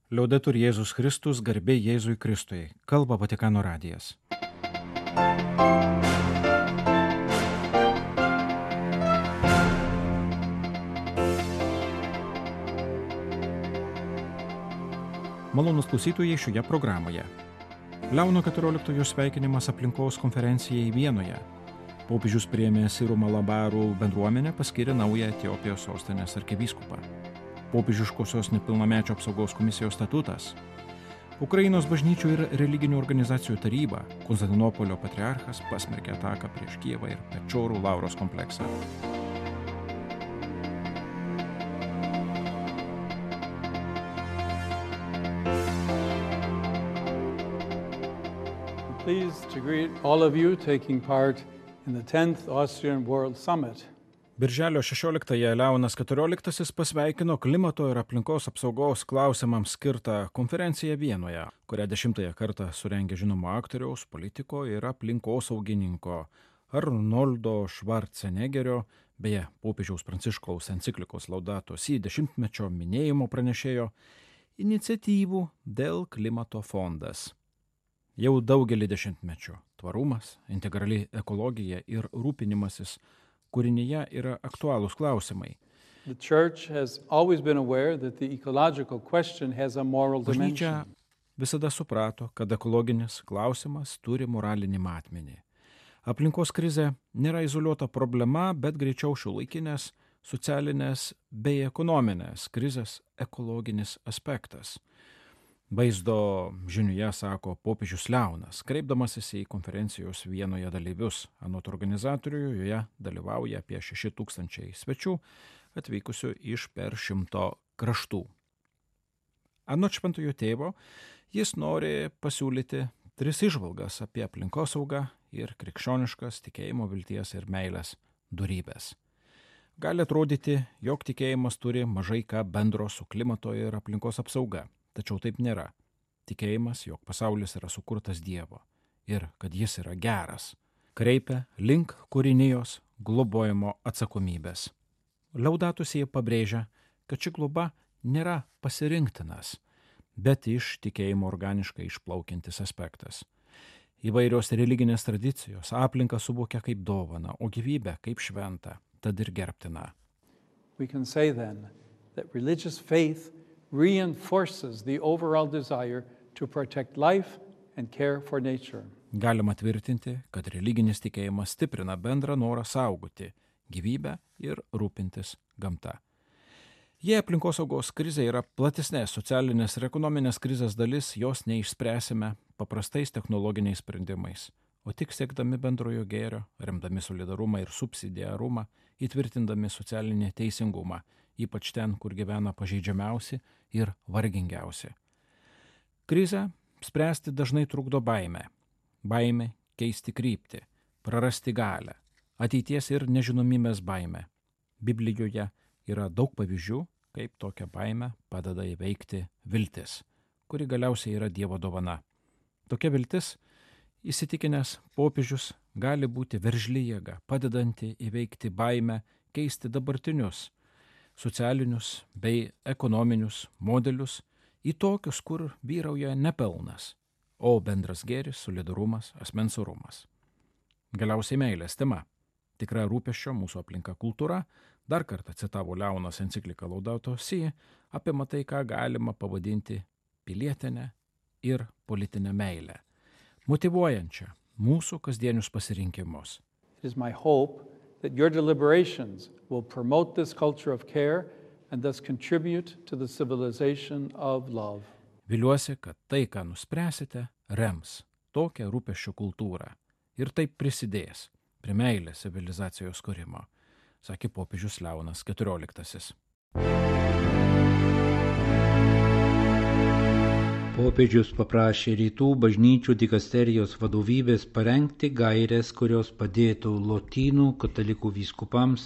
Liaudetur Jėzus Kristus, garbė Jėzui Kristui. Kalba Vatikano radijas. Malonūs klausytojai šioje programoje. Leono XIV sveikinimas aplinkos konferencijai Vienoje. Popiežius priėmė Sirų Malabarų bendruomenę, paskyrė naują Etiopijos sostinės arkivyskupą. Popiežiškosios nepilnamečio apsaugos komisijos statutas. Ukrainos bažnyčių ir religinių organizacijų taryba, Konstantinopolio patriarchas pasmerkė ataką prieš Kijevą ir Pečorų Lauros kompleksą. Pleased to greet all of you taking part in the 10th Austrian World Summit. Birželio 16-ąją Leonas XIV pasveikino klimato ir aplinkos apsaugos klausimams skirtą konferenciją Vienoje, kurią 10-ąją kartą surengė žinomo aktoriaus, politiko ir aplinkosaugininko Arnoldo Schwarzeneggerio, beje, popiežiaus Pranciškaus enciklikos Laudato Si 10-mečio minėjimo pranešėjo iniciatyvų dėl klimato fondas. Jau daugelį dešimtmečių tvarumas, integrali ekologija ir rūpinimasis kūrinyje yra aktualūs klausimai. Bažnyčia visada suprato, kad ekologinis klausimas turi moralinį matmenį. Aplinkos krizė nėra izoliuota problema, bet greičiau šiuolaikinės, socialinės bei ekonominės krizės ekologinis aspektas. Vaizdo žiniuje sako popiežius Leonas, kreipdamasis į konferencijos Vienoje dalyvius. Anot organizatorių joje dalyvauja apie 6,000 svečių, atvykusių iš per 100 kraštų. Anot šventojo tėvo, jis nori pasiūlyti 3 įžvalgas apie aplinkosaugą ir krikščioniškas tikėjimo, vilties ir meilės dorybes. Gali atrodyti, jog tikėjimas turi mažai ką bendro su klimato ir aplinkos apsauga. Tačiau taip nėra. Tikėjimas, jog pasaulis yra sukurtas Dievo ir kad jis yra geras, kreipia link kūrinijos globojimo atsakomybės. Laudato Si pabrėžia, kad ši globa nėra pasirinktinas, bet iš tikėjimo organiškai išplaukiantis aspektas. Įvairios religinės tradicijos aplinką suvokia kaip dovaną, o gyvybę kaip šventą, tad ir gerbtiną. We can say then that religious faith reinforces the overall desire to protect life and care for nature. Galima tvirtinti, kad religinis tikėjimas stiprina bendrą norą saugoti gyvybę ir rūpintis gamta. Jei aplinkosaugos krizė yra platesnės socialinės ir ekonominės krizės dalis, jos neišspręsime paprastais technologiniais sprendimais, o tik siekdami bendrojo gėrio, remdami solidarumą ir subsidiarumą, įtvirtindami socialinį teisingumą, ypač ten, kur gyvena pažeidžiamiausi ir vargingiausi. Krizę spręsti dažnai trukdo baimė. Baimė keisti kryptį, prarasti galią, ateities ir nežinomybės baimė. Biblijoje yra daug pavyzdžių, kaip tokią baimę padeda įveikti viltis, kuri galiausiai yra Dievo dovana. Tokia viltis, įsitikinęs popiežius, gali būti veržli jėga, padedanti įveikti baimę, keisti dabartinius socialinius bei ekonominius modelius į tokius, kur vyrauja nepelnas, o bendras gėris, solidarumas, asmens orumas. Galiausiai meilės tema. Tikra rūpesčio mūsų aplinka kultūra, dar kartą citavo Leonas encikliką Laudato Si, apima tai, ką galima pavadinti pilietinę ir politinę meilę, motyvuojančią mūsų kasdienius pasirinkimus. It is my hope that your deliberations will promote this culture of care and thus contribute to the civilization of love. Viliuosi, kad tai, ką nuspręsite, rems tokią rūpesčio kultūrą ir taip prisidės prie meilės civilizacijos kūrimo, sakė popiežius Leonas XIV. Popiežius paprašė rytų bažnyčių dikasterijos vadovybės parengti gaires, kurios padėtų lotynų katalikų vyskupams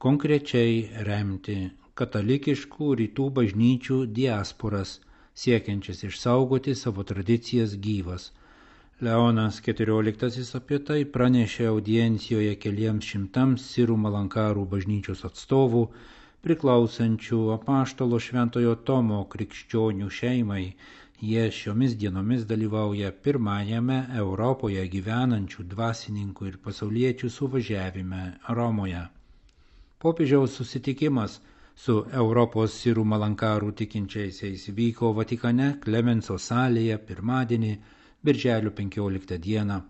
konkrečiai remti katalikiškų rytų bažnyčių diasporas, siekiančias išsaugoti savo tradicijas gyvas. Leonas XIV apie tai pranešė audiencijoje keliems šimtams Sirų Malankarų bažnyčios atstovų priklausančių apaštalo Šventojo Tomo krikščionių šeimai. Jie šiomis dienomis dalyvauja pirmajame Europoje gyvenančių dvasininkų ir pasauliečių suvažiavime Romoje. Popiežiaus susitikimas su Europos sirų malankarų tikinčiaisiais vyko Vatikane Klemenso salėje pirmadienį, birželio 15 dieną.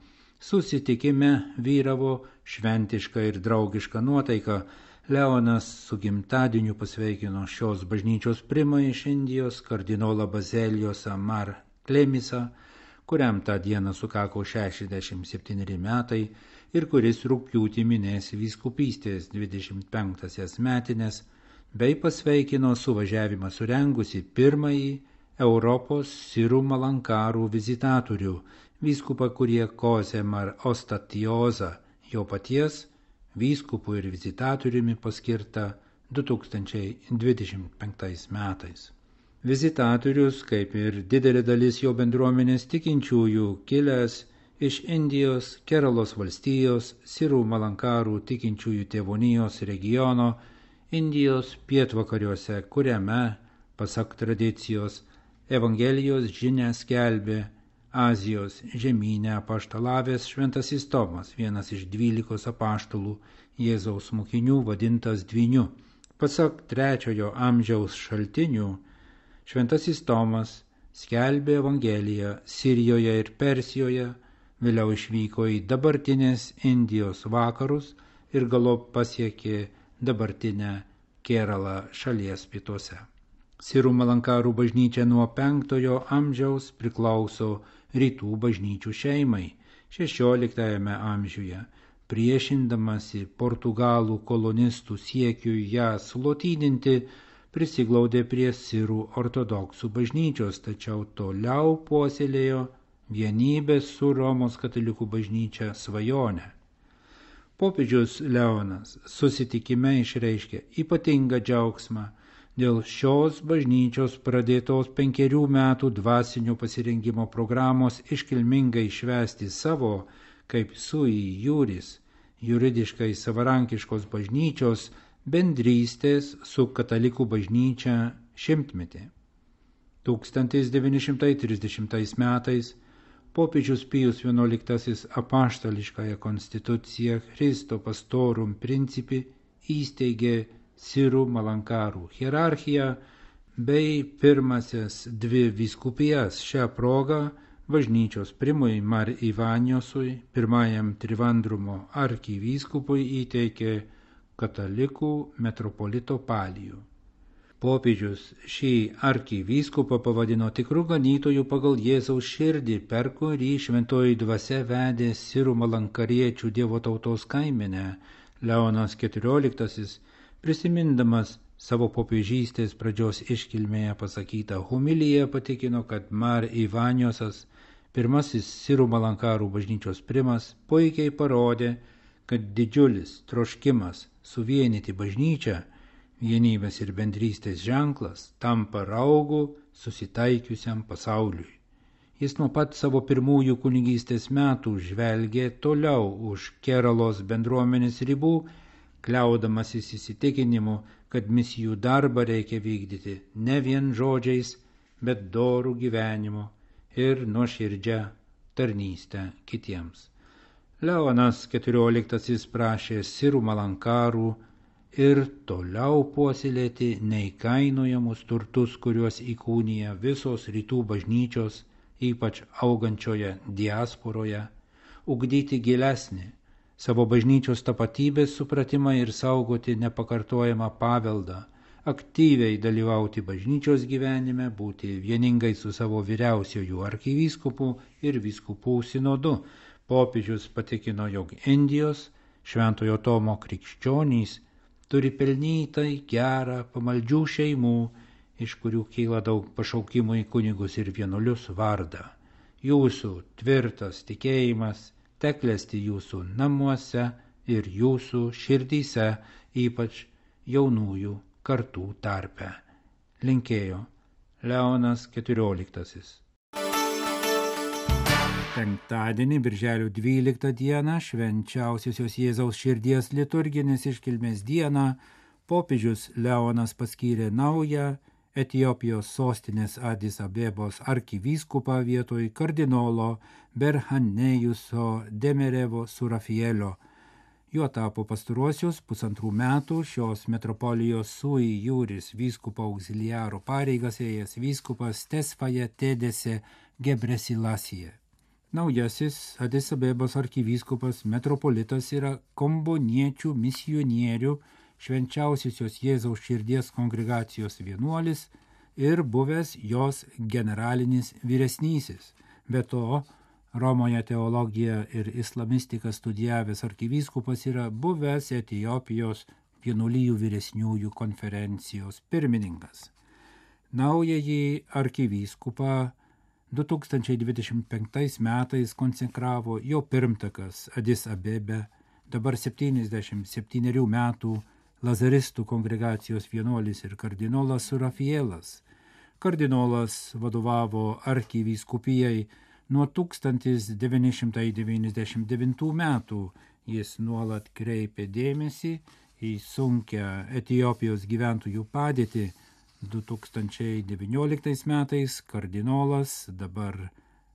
Susitikime vyravo šventiška ir draugiška nuotaika. Leonas su gimtadieniu pasveikino šios bažnyčios primą iš Indijos kardinolą Bazelijosą Mar Klemisą, kuriam tą dieną sukako 67 metai ir kuris rugpjūtį minės vyskupystės 25-asias metines, bei pasveikino suvažiavimą surengusi pirmąjį Europos sirų malankarų vizitatorių, vyskupą Kuriakose Mar Ostatiozą, jo paties vyskupų ir vizitatoriumi paskirta 2025 metais. Vizitatorius, kaip ir didelė dalis jo bendruomenės tikinčiųjų, kilęs iš Indijos, Keralos valstijos, sirų malankarų tikinčiųjų tėvonijos regiono, Indijos pietvakariuose, kuriame, pasak tradicijos, Evangelijos žinią skelbė Azijos žemyne apaštalavęs Šventasis Tomas, vienas iš 12 apaštalų Jėzaus mokinių, vadintas Dvyniu. Pasak 3 amžiaus šaltinių, Šventasis Tomas skelbė Evangeliją Sirijoje ir Persijoje, vėliau išvyko į dabartinės Indijos vakarus ir galop pasiekė dabartinę Keralą šalies pietuose. Sirų malankarų bažnyčia nuo 5 amžiaus priklauso rytų bažnyčių šeimai 16 amžiuje, priešindamasi portugalų kolonistų siekiui ją sulotyninti, prisiglaudė prie sirų ortodoksų bažnyčios, tačiau toliau puoselėjo vienybės su Romos katalikų bažnyčia svajonę. Popiežius Leonas susitikime išreiškė ypatingą džiaugsmą dėl šios bažnyčios pradėtos 5 metų dvasinio pasirengimo programos iškilmingai švęsti savo, kaip sui juris, juridiškai savarankiškos bažnyčios bendrystės su katalikų bažnyčia šimtmetį. 1930 metais popiežius Pijus XI apaštališkąją konstituciją Christo Pastorum Principi įsteigė sirų malankarų hierarchiją bei pirmasias 2 vyskupijas. Šią progą bažnyčios primui Mar Ivaniosui, pirmajam Trivandrumo arkivyskupui, įteikė katalikų metropolito palijų. Popiežius šį arkivyskupą pavadino tikru ganytoju pagal Jėzaus širdį, per kurį šventoji dvasia vedė sirų malankariečių dievo tautos kaimenę. Leonas XIV, prisimindamas savo popiežystės pradžios iškilmėje pasakytą homiliją, patikino, kad Mar Ivaniosas, pirmasis sirų malankarų bažnyčios primas, puikiai parodė, kad didžiulis troškimas suvienyti bažnyčią, vienybės ir bendrystės ženklas, tampa raugu susitaikiusiam pasauliui. Jis nuo pat savo pirmųjų kunigystės metų žvelgė toliau už Keralos bendruomenės ribų, kliaudamasis įsitikinimu, kad misijų darbą reikia vykdyti ne vien žodžiais, bet dorų gyvenimu ir nuoširdžią tarnystę kitiems. Leonas XIV prašė sirų malankarų ir toliau puoselėti neįkainojamus turtus, kuriuos įkūnija visos rytų bažnyčios, ypač augančioje diasporoje, ugdyti gilesnį savo bažnyčios tapatybės supratimą ir saugoti nepakartojamą paveldą, aktyviai dalyvauti bažnyčios gyvenime, būti vieningai su savo vyriausiuoju arkivyskupu ir vyskupų sinodu. Popiežius patikino, jog Indijos Šventojo Tomo krikščionys turi pelnytai gerą pamaldžių šeimų, iš kurių kyla daug pašaukimų į kunigus ir vienuolius vardą. Jūsų tvirtas tikėjimas teklesti jūsų namuose ir jūsų širdyse, ypač jaunųjų kartų tarpe. Linkėjo Leonas XIV. Penktadienį, birželio 12 dieną, švenčiausiosios Jėzaus širdies liturginės iškilmės dieną, popiežius Leonas paskyrė naują Etiopijos sostinės Adis Abebos arkivyskupą vietoj kardinolo Berhanejuso Demerevo Surafielio. Juo tapo pastaruosius 1,5 metų šios metropolijos sui juris vyskupo auxiliaro pareigas ėjęs vyskupas Tesfaye Tedese Gebresilasije. Naujasis Adis Abebos arkivyskupas metropolitas yra komboniečių misionierių Švenčiausiosios Jėzaus širdies kongregacijos vienuolis ir buvęs jos generalinis vyresnysis. Be to, Romoje teologiją ir islamistiką studijavęs arkivyskupas yra buvęs Etiopijos vienuolijų vyresniųjų konferencijos pirmininkas. Naująjį arkivyskupą 2025 metais konsekravo jo pirmtakas Adis Abebe, dabar 77 metų Lazaristų kongregacijos vienuolis ir kardinolas Surafielas. Kardinolas vadovavo arkivyskupijai nuo 1999 metų. Jis nuolat kreipė dėmesį į sunkią Etiopijos gyventojų padėtį. 2019 metais kardinolas, dabar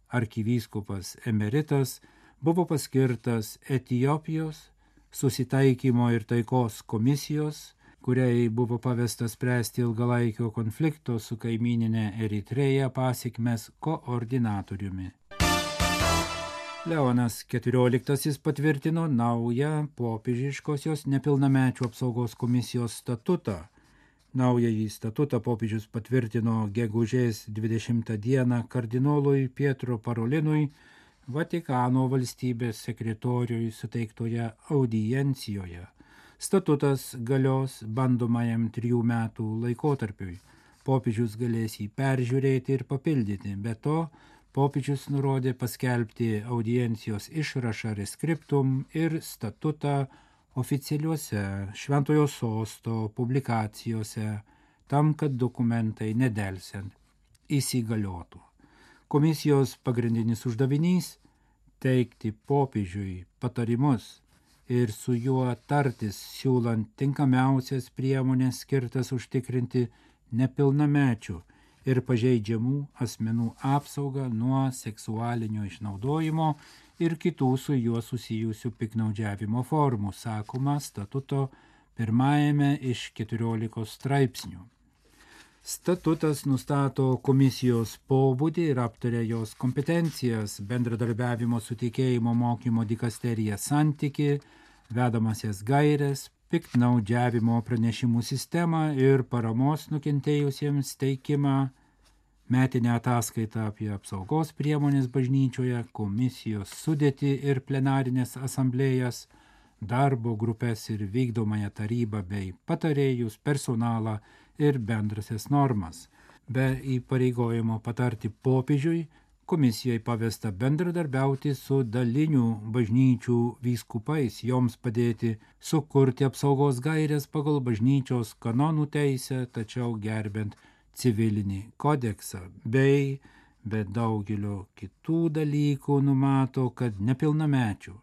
arkivyskupas emeritas, buvo paskirtas Etiopijos susitaikymo ir taikos komisijos, kuriai buvo pavesta spręsti ilgalaikio konflikto su kaimyninė Eritreja pasekmes koordinatoriumi. Leonas XIV patvirtino naują popiežiškosios nepilnamečių apsaugos komisijos statutą. Naująjį statutą popiežius patvirtino gegužės 20 dieną kardinolui Pietro Parolinui Vatikano valstybės sekretoriui suteiktoje audiencijoje. Statutas galios bandomajam 3 metų laikotarpiui. Popiežius galės jį peržiūrėti ir papildyti. Be to, popiežius nurodė paskelbti audiencijos išrašą reskriptum ir statutą oficialiuose Šventojo Sosto publikacijose, tam, kad dokumentai nedelsiant įsigaliotų. Komisijos pagrindinis uždavinys – teikti popiežiui patarimus ir su juo tartis, siūlant tinkamiausias priemonės skirtas užtikrinti nepilnamečių ir pažeidžiamų asmenų apsaugą nuo seksualinio išnaudojimo ir kitų su juo susijusių piktnaudžiavimo formų, sakoma statuto 1 iš 14 straipsnių. Statutas nustato komisijos pobūdį ir aptaria jos kompetencijas, bendradarbiavimo su tikėjimo mokymo dikasterija santyki, vedamasias gaires, piktnaudžiavimo pranešimų sistemą ir paramos nukentėjusiems teikimą, metinę ataskaitą apie apsaugos priemonės bažnyčioje, komisijos sudėtį ir plenarinės asamblėjas, darbo grupės ir vykdomąją tarybą bei patarėjus, personalą ir bendrasias normas. Be įpareigojimo patarti popiežiui, komisijai pavesta bendradarbiauti su dalinių bažnyčių vyskupais, joms padėti sukurti apsaugos gaires pagal bažnyčios kanonų teisę, tačiau gerbent civilinį kodeksą, bei be daugelio kitų dalykų numato, kad nepilnamečių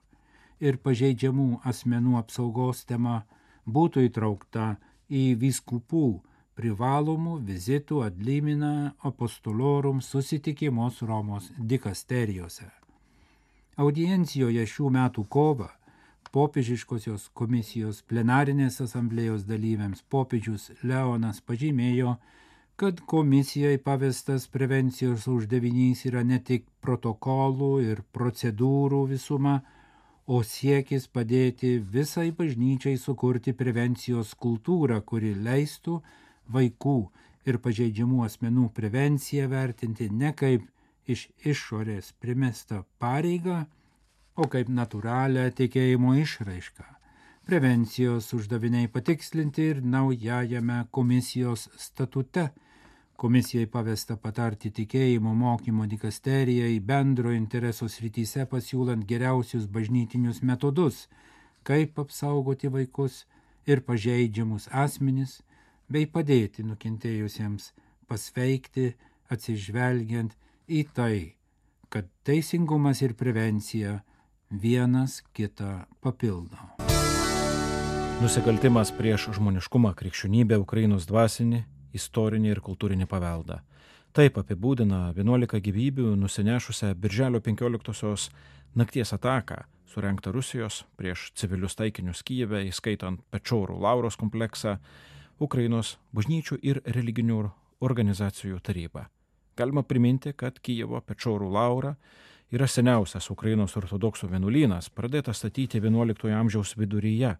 ir pažeidžiamų asmenų apsaugos tema būtų įtraukta į vyskupų privalomų vizitų ad limina apostolorum susitikimus Romos dikasterijose. Audiencijoje šių metų kovą popiežiškosios komisijos plenarinės asamblėjos dalyviams popiežius Leonas pažymėjo, kad komisijai pavestas prevencijos uždavinys yra ne tik protokolų ir procedūrų visuma, o siekis padėti visai bažnyčiai sukurti prevencijos kultūrą, kuri leistų vaikų ir pažeidžiamų asmenų prevenciją vertinti ne kaip iš išorės primestą pareigą, o kaip natūralią tikėjimo išraišką. Prevencijos uždaviniai patikslinti ir naujajame komisijos statute. Komisijai pavesta patarti tikėjimo mokymo dikasterijai bendro intereso srityse pasiūlant geriausius bažnytinius metodus, kaip apsaugoti vaikus ir pažeidžiamus asmenis, bei padėti nukentėjusiems pasveikti atsižvelgiant į tai, kad teisingumas ir prevencija vienas kitą papildo. Nusikaltimas prieš žmoniškumą, krikščionybę, Ukrainos dvasinį, istorinį ir kultūrinį paveldą. Taip apibūdina 11 gyvybių nusinešusią birželio 15-osios nakties ataką, surengtą Rusijos prieš civilius taikinius Kijeve, įskaitant Pečorų Lauros kompleksą, Ukrainos bažnyčių ir religinių organizacijų tarybą. Galima priminti, kad Kijevo Pečorų Laura yra seniausias Ukrainos ortodoksų vienuolynas, pradėtas statyti 11 amžiaus viduryje.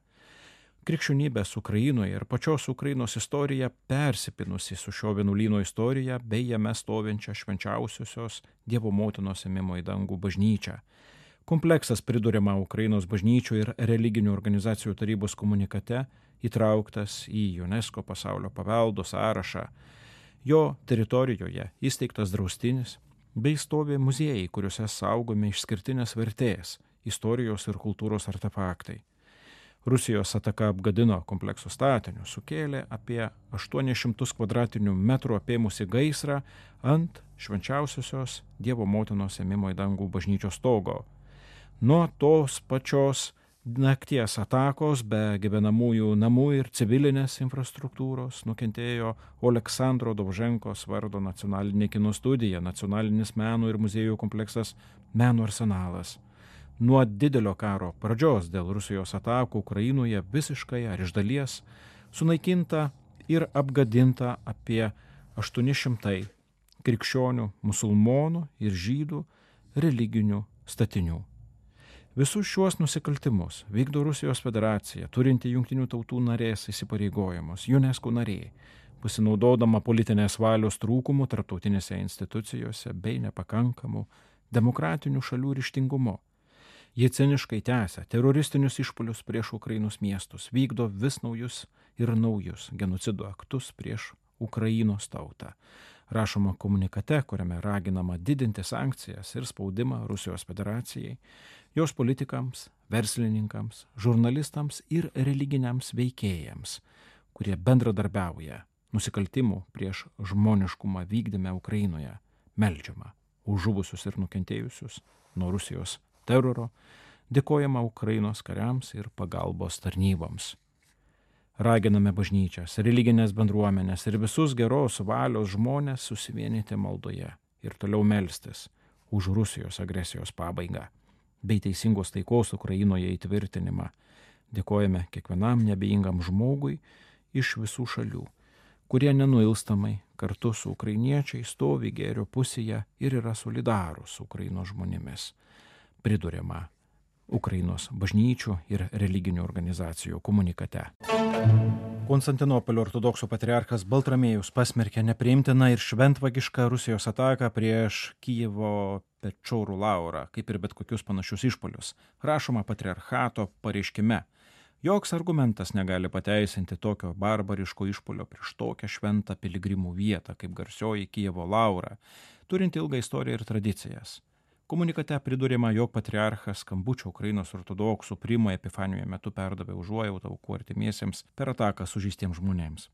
Krikščionybės Ukrainoje ir pačios Ukrainos istorija persipinusi su šio vienuolyno istorija bei jame stovinčia švenčiausiosios Dievo motinos ėmimo į dangų bažnyčią. Kompleksas priduriama Ukrainos bažnyčių ir religinių organizacijų tarybos komunikate įtrauktas į UNESCO pasaulio paveldo sąrašą. Jo teritorijoje įsteigtas draustinis bei stovi muziejai, kuriuose saugomi išskirtinės vertės, istorijos ir kultūros artefaktai. Rusijos ataka apgadino komplekso statinius, sukėlė apie 800 kvadratinių metrų apėmusi gaisrą ant švenčiausiosios Dievo motinos ėmimo į dangų bažnyčios stogo. Nuo tos pačios nakties atakos be gyvenamųjų namų ir civilinės infrastruktūros nukentėjo Oleksandro Dovženkos vardo nacionalinė kino studija, nacionalinis meno ir muziejų kompleksas Meno arsenalas. Nuo didelio karo pradžios dėl Rusijos atakų Ukrainoje visiškai ar iš dalies sunaikinta ir apgadinta apie 800 krikščionių, musulmonų ir žydų religinių statinių. Visus šiuos nusikaltimus vykdo Rusijos federacija, turinti Jungtinių tautų narės įsipareigojimus, UNESCO narė, pasinaudodama politinės valios trūkumų tarptautinėse institucijose bei nepakankamų demokratinių šalių ryžtingumu. Jie ciniškai tęsia teroristinius išpuolius prieš Ukrainos miestus, vykdo vis naujus ir naujus genocido aktus prieš Ukrainos tautą. Rašoma komunikate, kuriame raginama didinti sankcijas ir spaudimą Rusijos federacijai, jos politikams, verslininkams, žurnalistams ir religiniams veikėjams, kurie bendradarbiauja nusikaltimų prieš žmoniškumą vykdyme Ukrainoje, meldžiama už žuvusius ir nukentėjusius nuo Rusijos teroro, dėkojama Ukrainos kariams ir pagalbos tarnyboms. Raginame bažnyčias, religinės bendruomenės ir visus geros valios žmonės susivienyti maldoje ir toliau melstis už Rusijos agresijos pabaigą bei teisingos taikos Ukrainoje įtvirtinimą. Dėkojame kiekvienam neabejingam žmogui iš visų šalių, kurie nenuilstamai kartu su ukrainiečiai stovi gėrio pusėje ir yra solidarūs su Ukrainos žmonėmis. Priduriama Ukrainos bažnyčių ir religinių organizacijų komunikate. Konstantinopolio ortodoksų patriarchas Baltramiejus pasmerkė nepriimtiną ir šventvagišką Rusijos ataką prieš Kijevo Pečorų Laurą, kaip ir bet kokius panašius išpuolius. Rašoma patriarchato pareiškime. Joks argumentas negali pateisinti tokio barbariško išpuolio prieš tokią šventą piligrimų vietą, kaip garsioji Kijevo Laura, turinti ilgą istoriją ir tradicijas. Komunikate priduriama, jog patriarchas skambučio Ukrainos ortodoksų Primo Epifanijoje metu perdavė užuojautą aukų artimiesiems per ataką sužeistiems žmonėms.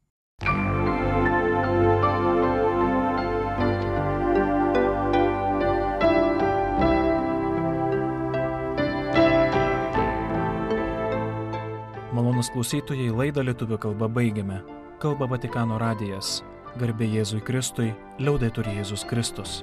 Malonūs klausytojai, laidą lietuvių kalba baigiame. Kalba Vatikano radijas. Garbė Jėzui Kristui, liaudetur Jėzus Kristus.